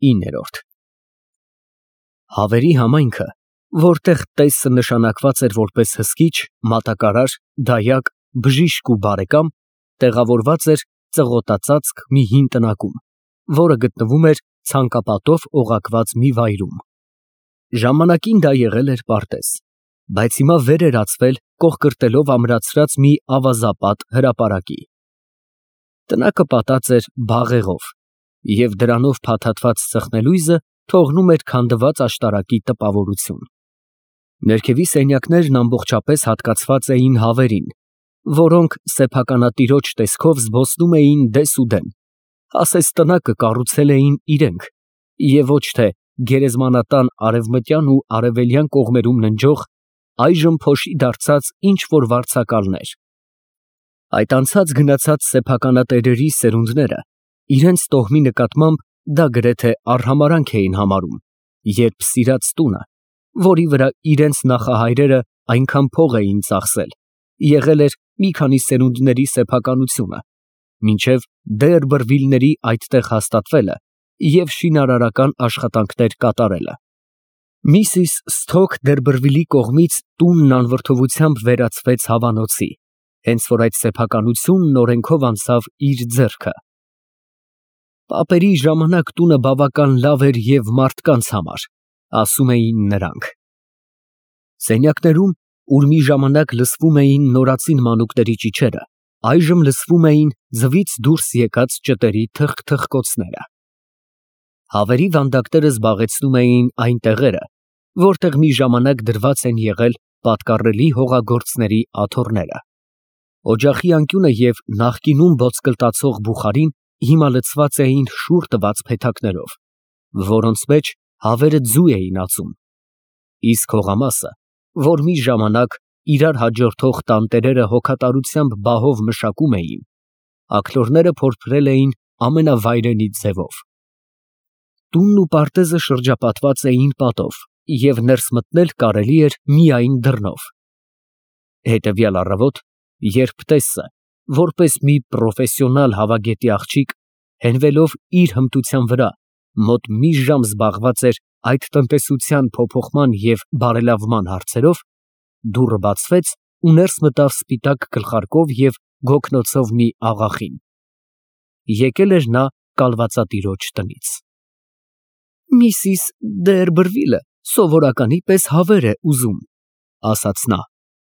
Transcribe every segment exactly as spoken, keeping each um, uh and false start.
ինը Հավերի համայնքը, որտեղ տեսը նշանակված էր որպես հսկիչ, մատակարար, դայակ, բժիշկ ու բարեկամ, տեղավորված էր ծղոտածածկ մի հին տնակում, որը գտնվում էր ցանկապատով օղակված մի վայրում։ Ժամանակին դա եղել էր պարտեզ, բայց հիմա վեր էր ածվել կողկրտելով ամրացրած մի ավազապատ հրապարակի։ Տնակը պատած էր բաղեղով, և դրանով փաթաթված սխնելույզը թողնում էր քանդված աշտարակի տպավորություն։ Ներքևի սենյակներն ամբողջապես հատկացված էին հավերին, որոնք սեփականատիրոջ տեսքով զբոսնում էին դեսուդեն, ասես տնակը կառուցել էին իրենք, և ոչ թե գերեզմանատան արևմտյան ու արևելյան կողմերում ննջող, այժմ փոշի դարձած ինչ֊որ վարձակալներ։ Այդ անցած֊գնացած սեփականատերերի սերունդները իրենց տոհմի նկատմամբ դա գրեթե արհամարհանք էին համարում, երբ սիրած տունը, որի վրա իրենց նախահայրերը այնքան փող էին ծախսել, եղել էր մի քանի սերունդների սեփականությունը, մինչև Դերբրվիլների այդտեղ հաստատվելը և շինարարական աշխատանքներ կատարելը։ Միսիս Սթոք Դերբրվիլի կողմից տունն անվրդովությամբ վերածվեց հավանոցի, հենց որ այդ սեփականությունն օրենքով անցավ իր ձեռքը։ Պապերի ժամանակ տունը բավական լավ էր և մարդկանց համար, ասում էին նրանք։ Սենյակներում, ուր մի ժամանակ լսվում էին նորածին մանուկների ճիչերը, այժմ լսվում էին ձվից դուրս եկած ճտերի թխկթխկոցները։ Հավերի վանդակները զբաղեցնում էին այն տեղերը, որտեղ մի ժամանակ դրված են եղել պատկառելի հողագործների աթոռները։ Օջախի անկյունը և նախկինում ոսկլտացող բուխարին հիմա լցված էին շուռ տված փեթակներով, որոնց մեջ հավերը ձու էին ածում, իսկ հողամասը, որ մի ժամանակ իրար հաջորդող տանտերերը հոգատարությամբ բահով մշակում էին, աքլորները փորփրել էին ամենավայրենի ձևով։ Տունն ու պարտեզը շրջապատված էին պատով, և ներս մտնել կարելի էր միայն դռնով։ Հետևյալ առավոտ, երբ տեսը, որպես մի պրոֆեսիոնալ հավագետի աղջիկ, հենվելով իր հմտության վրա, մոտ մի ժամ զբաղված էր այդ տնտեսության փոփոխման և բարելավման հարցերով, դուռը բացվեց ու ներս մտավ սպիտակ գլխարկով և գոգնոցով մի աղախին։ Եկել էր նա կալվածատիրոջ տնից։ Միսիս Դերբրվիլը սովորականի պես հավեր է ուզում, ասաց նա,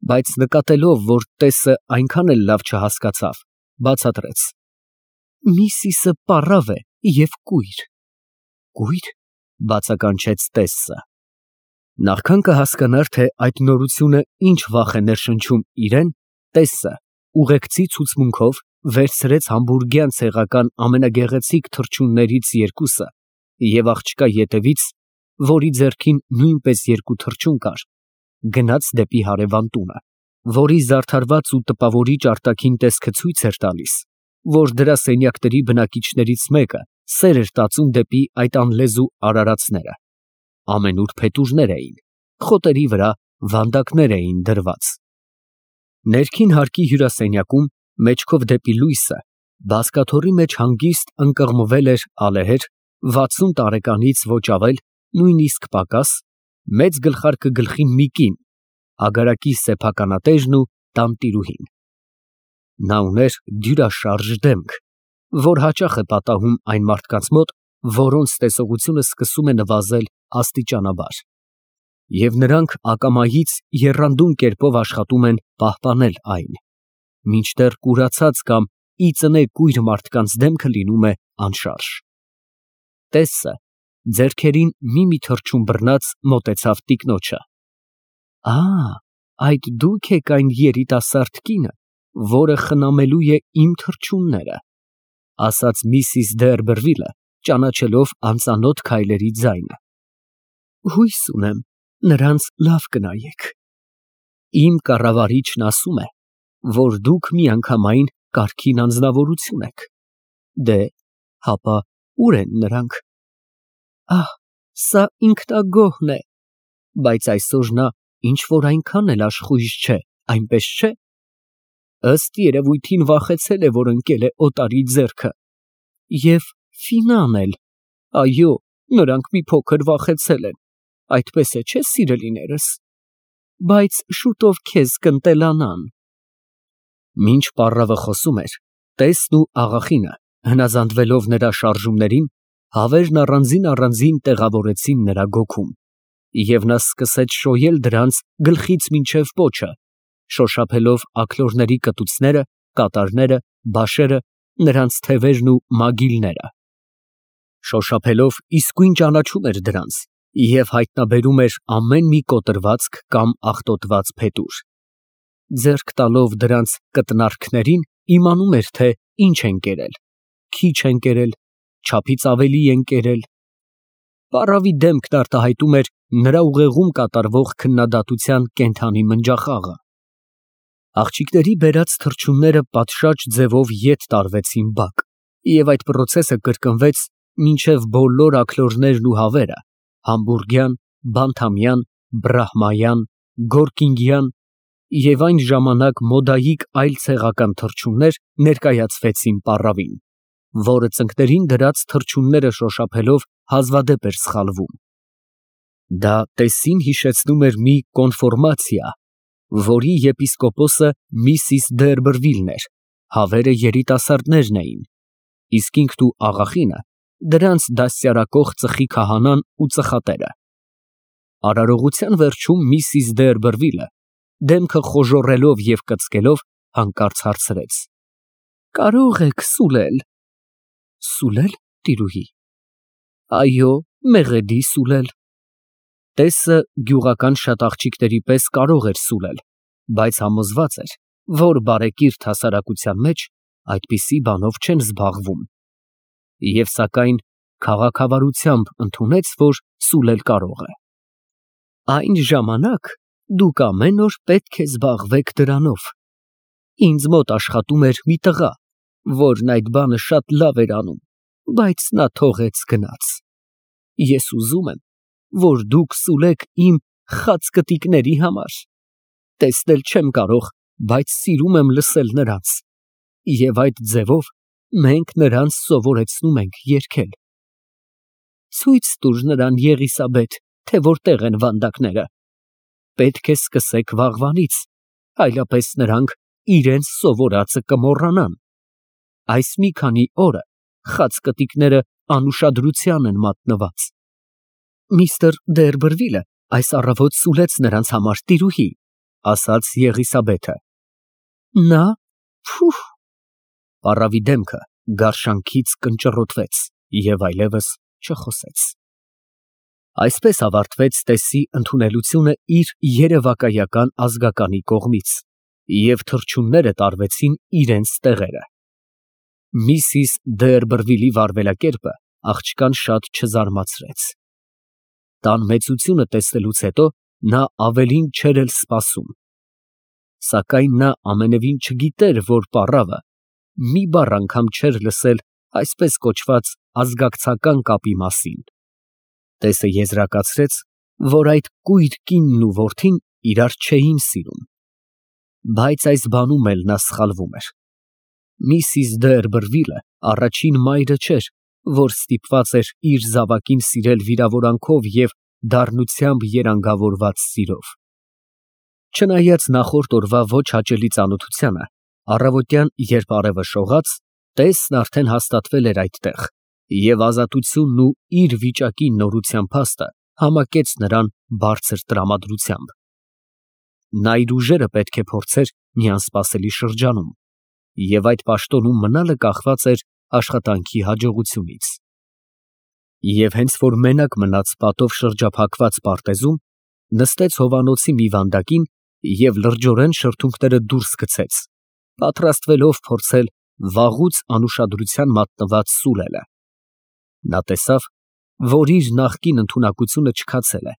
բայց նկատելով, որ տեսը այնքան էլ լավ չհասկացավ, բացատրեց. Միսիսը պառավ է և կույր։ Կույր, բացականչեց տեսը։ Նախքան կհասկանար, թե այդ նորությունը ինչ վախ է ներշնչում իրեն, տեսը ուղեկցի ցուցմունքով վերցրեց համբուրգյան ցեղական ամենագեղեցիկ թռչուններից երկուսը և աղջկա ետևից, որի ձեռքին նույնպես երկու թռչուն կար, գնաց դեպի հարևան տունը, որի զարդարված ու տպավորիչ արտաքին տեսքը ցույց էր տալիս, որ դրա սենյակների բնակիչներից մեկը սեր էր տածում դեպի այդ անլեզու արարածները։ Ամենուր փետուրներ էին, խոտերի վրա վանդակներ էին դրված։ Ներքին հարկի հյուրասենյակում, մեջքով դեպի լույսը, բազկաթոռի մեջ հանգիստ ընկղմվել էր ալեհեր, վաթսուն տարեկանից ոչ ավել, նույնիսկ պակաս, մեծ գլխարկը գլխին մի կին, ագարակի սեփականատերն ու տանտիրուհին։ Նա ուներ դյուրաշարժ դեմք, որ հաճախ է պատահում այն մարդկանց մոտ, որոնց տեսողությունը սկսում է նվազել աստիճանաբար, և նրանք ակամայից եռանդուն կերպով աշխատում են պահպանել այն, մինչդեռ կուրացած կամ ի ծնե կույր մարդկանց դեմքը լինում է անշարժ։ Տեսը ձեռքերին մի-մի թռչուն բռնած մոտեցավ տիկնոջը։ Ա, այդ դուք եք այն երիտասարդ կինը, որը խնամելու է իմ թռչունները, ասաց միսիս Դերբրվիլը, ճանաչելով անծանոթ քայլերի ձայնը։ Հույս ունեմ, նրանց լավ կնայեք։ Իմ կառավարիչն ասում է, որ դուք միանգամայն կարգին անձնավորություն եք։ Դե, հապա ո՞ւր են նրանք։ Ահ, սա ինքնագոհն է, բայց այսօր նա ինչ֊որ այնքան էլ աշխույժ չէ, այնպես չէ։ Ըստ երևույթին վախեցել է, որ ընկել է օտարի ձեռքը։ Եվ Ֆինան էլ, այո, Նրանք մի փոքր վախեցել են, այդպես է, չէ՞, սիրելիներս, բայց շուտով քեզ կընտելանան։ Մինչ պառավը խոսում էր, տեսն ու աղախինը, հնազանդվելով նրա շարժումներին, հավերն առանձին-առանձին տեղավորեցին նրա գոգում, և նա սկսեց շոյել դրանց գլխից մինչև պոչը, շոշափելով աքլորների կտուցները, կատարները, բաշերը, նրանց թևերն ու մագիլները։ Շոշափելով իսկույն ճանաչում էր դրանց և հայտնաբերում էր ամեն մի կոտրվածք կամ աղտոտված փետուր։ Ձեռք տալով դրանց կտնարքներին, իմանում էր, թե ինչ են կերել, քիչ են կերել, չափից ավելի են կերել։ Պառավի դեմքն արտահայտում էր նրա ուղեղում կատարվող քննադատության կենդանի մնջախաղը։ Աղջիկների բերած թռչունները պատշաճ ձևով ետ տարվեցին բակ, և այդ պրոցեսը կրկնվեց մինչև բոլոր աքլորներն ու հավերը, համբուրգյան, բանթամյան, բրահմայան, գորկինգյան և այն ժամանակ մոդայիկ այլ ցեղական թռչուններ ներկայացվեցին պառավին, որը ծնկներին դրած թռչունները շոշափելով հազվադեպ էր սխալվում։ Դա տեսին հիշեցնում էր մի կոնֆորմացիա, որի եպիսկոպոսը միսիս Դերբրվիլն էր, հավերը երիտասարդներն էին, իսկ ինքն ու աղախինը դրանց դաստիարակող ծխի քահանան ու ծխատերը։ Արարողության վերջում միսիս Դերբրվիլը, դեմքը խոժոռելով և կծկելով, հանկարծ հարցրեց. «Կարո՞ղ եք սուլել»։ «Սուլել, տիրուհի»։ «Այո, մեղեդի սուլել»։ Տեսը գյուղական շատ աղջիկների պես կարող էր սուլել, բայց համոզված էր, որ բարեկիրթ հասարակության մեջ այդպիսի բանով չեն զբաղվում, և սակայն քաղաքավարությամբ ընդունեց, որ սուլել կարող է։ «Այն ժամանակ դուք ամեն օր պետք է զբաղվեք դրանով։ Ինձ մոտ աշխատում էր մի տղա, որն այդ բանը շատ լավ էր անում, բայց նա թողեց գնաց։ Ես ուզում եմ, որ դուք սուլեք իմ խացկտիկների համար։ Տեսնել չեմ կարող, բայց սիրում եմ լսել նրանց, և այդ ձևով մենք նրանց սովորեցնում ենք երգել։ Ցույց տուր նրան, Եղիսաբեթ, թե որտեղ են վանդակները։ Պետք է սկսեք վաղվանից, այլապես նրանք իրենց սովորածը կմոռանան։ Այս մի քանի օրը խացկտիկները անուշադրության են մատնված։ Միստր Դերբրվիլը այս առավոտ սուլեց նրանց համար, տիրուհի, ասաց Եղիսաբեթը։ Նա, փուհ… Պառավի դեմքը գարշանքից կնճռոտվեց և այլևս չխոսեց։ Այսպես ավարտվեց տեսի ընդունելությունը իր երևակայական ազգականի կողմից, և թռչունները տարվեցին իրենց տեղերը։ Միսիս Դերբրվիլի վարվելակերպը աղջկան շատ չզարմացրեց։ Տան մեծությունը տեսնելուց հետո նա ավելին չէր էլ սպասում։ Սակայն նա ամենևին չգիտեր, որ պառավը մի բառ անգամ չէր լսել այսպես կոչված ազգակցական կապի մասին։ Տեսը եզրակացրեց, որ այդ կույր կինն ու որդին իրար չէին սիրում։ Բայց այս բանում էլ նա սխալվում էր։ Միսիս Դերբրվիլը առաջին մայրը չէր, որ ստիպված էր իր զավակին սիրել վիրավորանքով և դառնությամբ երանգավորված սիրով։ Չնայած նախորդ օրվա ոչ հաճելի ծանոթությանը, առավոտյան, երբ արևը շողաց, տեսն արդեն հաստատվել էր այդտեղ, և ազատությունն ու իր վիճակի նորության փաստը համակեց նրան բարձր տրամադրությամբ։ Նա իր ուժերը պետք է փորձեր մի անսպասելի շրջանում, և այդ պաշտոնում մնալը կախված էր աշխատանքի հաջողությունից։ Եվ հենց որ մենակ մնաց պատով շրջափակված պարտեզում, նստեց հովանոցի մի վանդակին և լրջորեն շրթունքները դուրս գցեց, պատրաստվելով փորձել վաղուց անուշադրության մատնված սուլելը։ Նա տեսավ, որ իր նախկին ընդունակությունը չքացել է,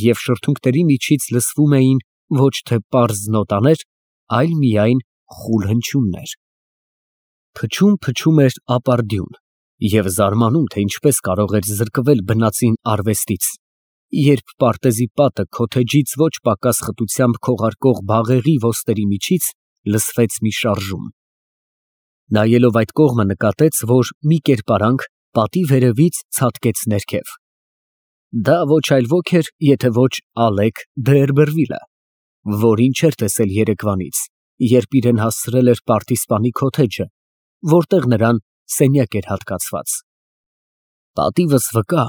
և շրթունքների միջից լսվում էին ոչ թե պարզ նոտաներ, այլ միայն խուլ հնչյուններ։ Փչում֊փչում էր ապարդյուն և զարմանում, թե ինչպես կարող էր զրկվել բնածին արվեստից, երբ պարտեզի պատը քոթեջից ոչ պակաս խտությամբ քողարկող բաղեղի ոսტերի միջից լսվեց մի շարժում։ Նայելով այդ կողմը նկատեց, որ մի կերպարանք Պատի վերևից ցատկեց ներքև։ Դա ոչ այլ ոք էր, եթե ոչ Ալեկ Դերբերվիլը, որին չէր տեսել երեկվանից, երբ իրեն հասցրել էր պարտիզպանի քոթեջը, որտեղ նրան սենյակ էր հատկացված։ Պատիվս վկա,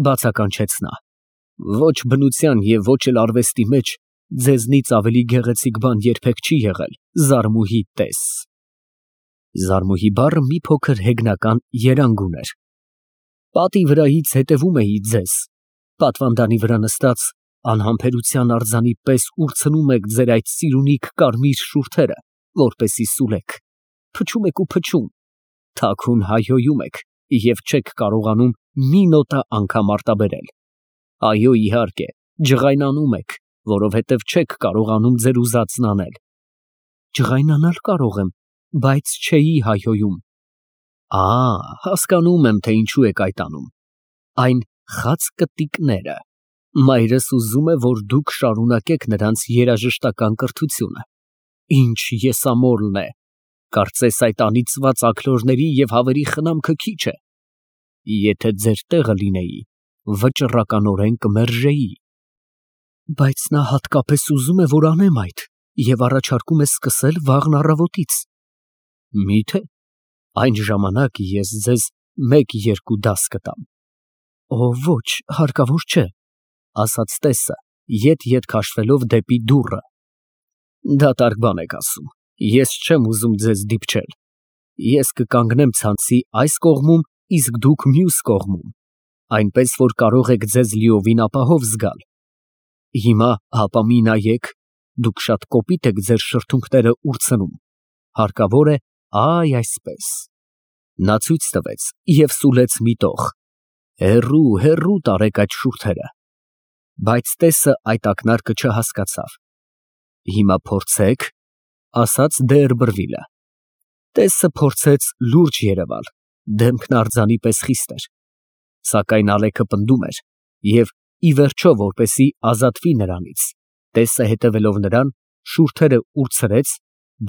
բացականչեց նա, ոչ բնության և ոչ էլ արվեստի մեջ ձեզնից ավելի գեղեցիկ բան երբեք չի եղել Զարմուհի պես։ Զարմուհի բառը մի փոքր հեգնական երանգ ուներ։ Պատի վրայից հետևում էի ձեզ, պատվանդանի վրա նստած անհամբերության արձանի պես ուրցնում եք ձեր այդ սիրունիք կարմիր շուրթերը, որպեսզի սուլեք, փչում եք ու փչում, թաքուն հայհոյում եք և չեք կարողանում մի նոտա անգամ արտաբերել։ Այո, իհարկե, ջղայնանում եք, որովհետև չեք կարողանում ձեր ուզածն անել։ Ջղայնանալ կարող եմ, բայց չէի հայհոյում։ Ա, հասկանում եմ, թե ինչու եք այդ անում։ Այն խաց կտիկները։ Մայրս ուզում է, որ դուք շարունակեք նրանց երաժշտական կրթությունը։ Ինչ եսամորն է, կարծես այդ անիծված աքլորների և հավերի խնամքը քիչ է։ Եթե ձեր տեղը լինեի, վճռականորեն կմերժեի։ Բայց նա հատկապես ուզում է, որ անեմ այդ, և առաջարկում է սկսել վաղն առավոտից։ Մի՞թե, այն ժամանակ ես ձեզ մեկ֊երկու դաս կտամ։ Օ, ոչ, հարկավոր չէ, ասաց տեսը, ետ֊ետ քաշվելով դեպի դուռը։ Դատարկ բան եք ասում, ես չեմ ուզում ձեզ դիպչել։ Ես կկանգնեմ ցանցի այս կողմում, իսկ դուք մյուս կողմում, այնպես որ կարող եք ձեզ լիովին ապահով զգալ։ Հիմա հապա մի նայեք, դուք շատ կոպիտ եք ձեր շրթունքները ուրցնում, հարկավոր է այ այսպես։ Նա ցույց տվեց և սուլեց մի տող։ Հեռու, հեռու տարեք այդ շուրթերը։ Բայց տեսը այդ ակնարկը չհասկացավ։ Հիմա փորձեք, ասաց Դերբերվիլը։ Տեսը փորձեց լուրջ երևալ, դեմքն արձանի պես խիստ էր։ Սակայն Ալեքը պնդում էր, և ի վերջո, որպեսզի ազատվի նրանից, տեսը հետևելով նրան, շուրթերը ուրցրեց,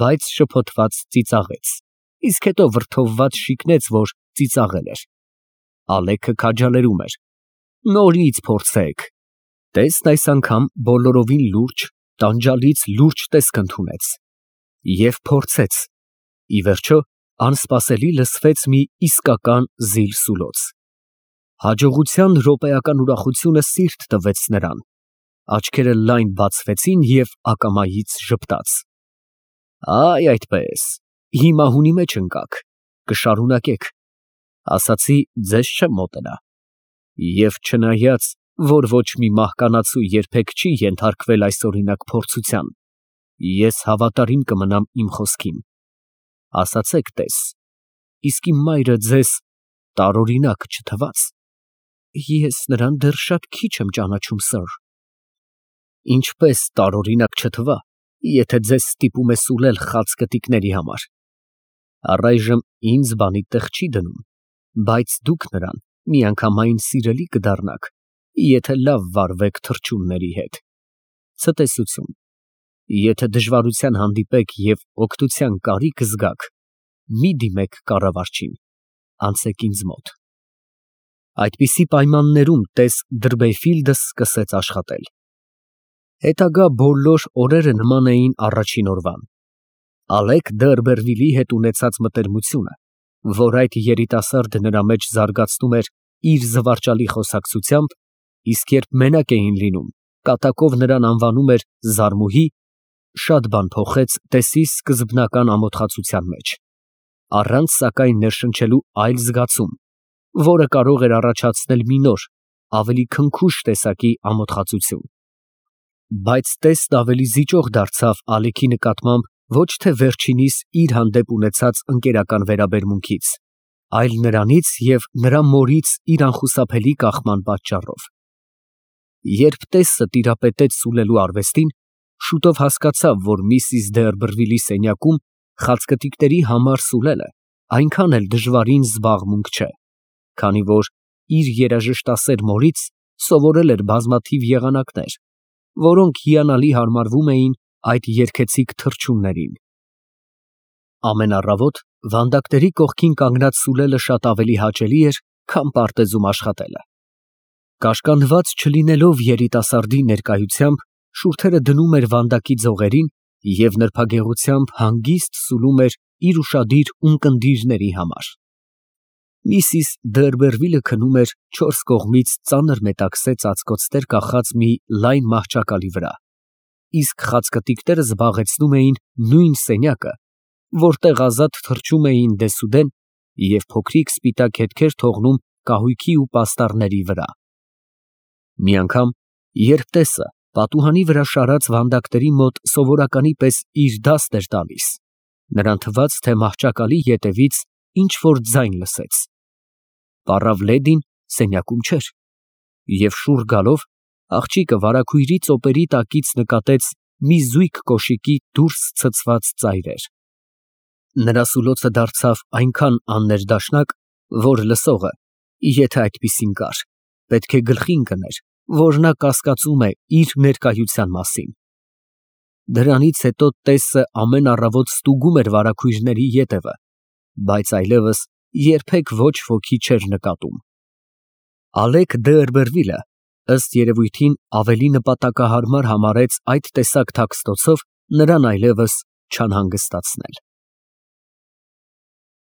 բայց շփոթված ծիծաղեց, իսկ հետո վրդովված շիկնեց, որ ծիծաղել էր։ Ալեքը քաջալերում էր. Նորից փորձեք։ Տեսն այս անգամ բոլորովին լուրջ, տանջալից լուրջ տեսք ընդունեց և փորձեց։ Ի վերջո, անսպասելի լսվեց մի իսկական զիլ֊սուլոց։ Հաջողության րոպեական ուրախությունը սիրտ տվեց նրան, աչքերը լայն բացվեցին և ակամայից ժպտաց։ Այ այդպես, հիմա հունի մեջ ընկաք, կշարունակեք, ասացի, ձեզ չեմ մոտենա։ Եվ չնայած, որ ոչ մի մահկանացու երբեք չի ենթարկվել այսօրինակ փորձության, ես հավատարիմ կմնամ իմ խոսքին։ Ասացեք, տես, իսկ իմ մայրը ձեզ տարօրինակ չթվաց։ Ես նրան դեռ շատ քիչ եմ ճանաչում, սըր։ Ինչպես տարօրինակ չթվա, եթե ձեզ ստիպում է սուլել խաց կտիկների համար։ Առայժմ ինձ բանի տեղ չի դնում, բայց դուք նրան միանգամայն սիրելի կդառնաք, եթե լավ վարվեք թռչունների հետ։ Ցտեսություն։ Եթե դժվարության հանդիպեք և օգնության կարիք զգաք, մի դիմեք կառավարչին, անցեք ինձ մոտ։ Այդպիսի պայմաններում տես Դրբեֆիլդը սկսեց աշխատել։ Հետագա բոլոր օրերը նման էին առաջին օրվան։ Ալեկ Դերբերվիլի հետ ունեցած մտերմությունը, որ այդ երիտասարդը նրա մեջ զարգացնում էր իր զվարճալի խոսակցությամբ, իսկ երբ մենակ էին լինում, կատակով նրան անվանում էր Զարմուհի, շատ բան փոխեց տեսի սկզբնական ամոթխածության մեջ, առանց սակայն ներշնչելու այլ զգացում, որը կարող էր առաջացնել մի նոր, ավելի քնքուշ տեսակի ամոթխածություն։ Բայց տեսն ավելի զիջող դարձավ Ալեքի նկատմամբ ոչ թե վերջինիս իր հանդեպ ունեցած ընկերական վերաբերմունքից, այլ նրանից և նրա մորից իր անխուսափելի կախման պատճառով։ Երբ տեսը տիրապետեց սուլելու արվեստին, շուտով հասկացավ, որ միսիս Դերբերվիլի սենյակում խացկտիկների համար սուլելը այնքան էլ դժվարին զբաղմունք չէ, քանի որ իր երաժշտասեր մորից սովորել էր բազմաթիվ եղանակներ, որոնք հիանալի հարմարվում էին այդ երգեցիկ թռչուններին։ Ամեն առավոտ վանդակների կողքին կանգնած սուլելը շատ ավելի հաճելի էր, քան պարտեզում աշխատելը։ Կաշկանդված չլինելով երիտասարդի ներկայությամբ, շուրթերը դնում էր վանդակի ձողերին և նրբագեղությամբ հանգիստ սուլում էր իր ուշադիր ունկնդիրների համար։ Միսիս Դերբերվիլը քնում էր չորս կողմից ծանր մետաքսե ծածկոցներ կախած մի լայն մահճակալի վրա, իսկ խացկտիկները զբաղեցնում էին նույն սենյակը, որտեղ ազատ թռչում էին դեսուդեն և փոքրիկ սպիտակ հետքեր թողնում կահույքի ու պաստառների վրա։ Մի անգամ, երբ տեսը պատուհանի վրա շարած վանդակների մոտ սովորականի պես իր դաստն էր տալիս, նրան թվաց, թե մահճակալի ետևից ինչ֊որ ձայն լսեց։ Պառավ Լեդին սենյակում չէր, և շուռ գալով, աղջիկը վարագույրի ծոպերի տակից նկատեց մի զույգ կոշիկի դուրս ցցված ծայրեր։ Նրա սուլոցը դարձավ այնքան աններդաշնակ, որ լսողը, եթե այդպիսին կար, պետք է գլխի ընկներ, որ նա կասկածում է իր ներկայության մասին։ Դրանից հետո տեսը ամեն առավոտ ստուգում էր վարագույրների ետևը, բայց այլևս երբեք ոչ ոքի չէր նկատում։ Ալեկ Դերբերվիլը, ըստ երևույթին, ավելի նպատակահարմար համարեց այդ տեսակ թաքստոցով նրան այլևս չանհանգստացնել։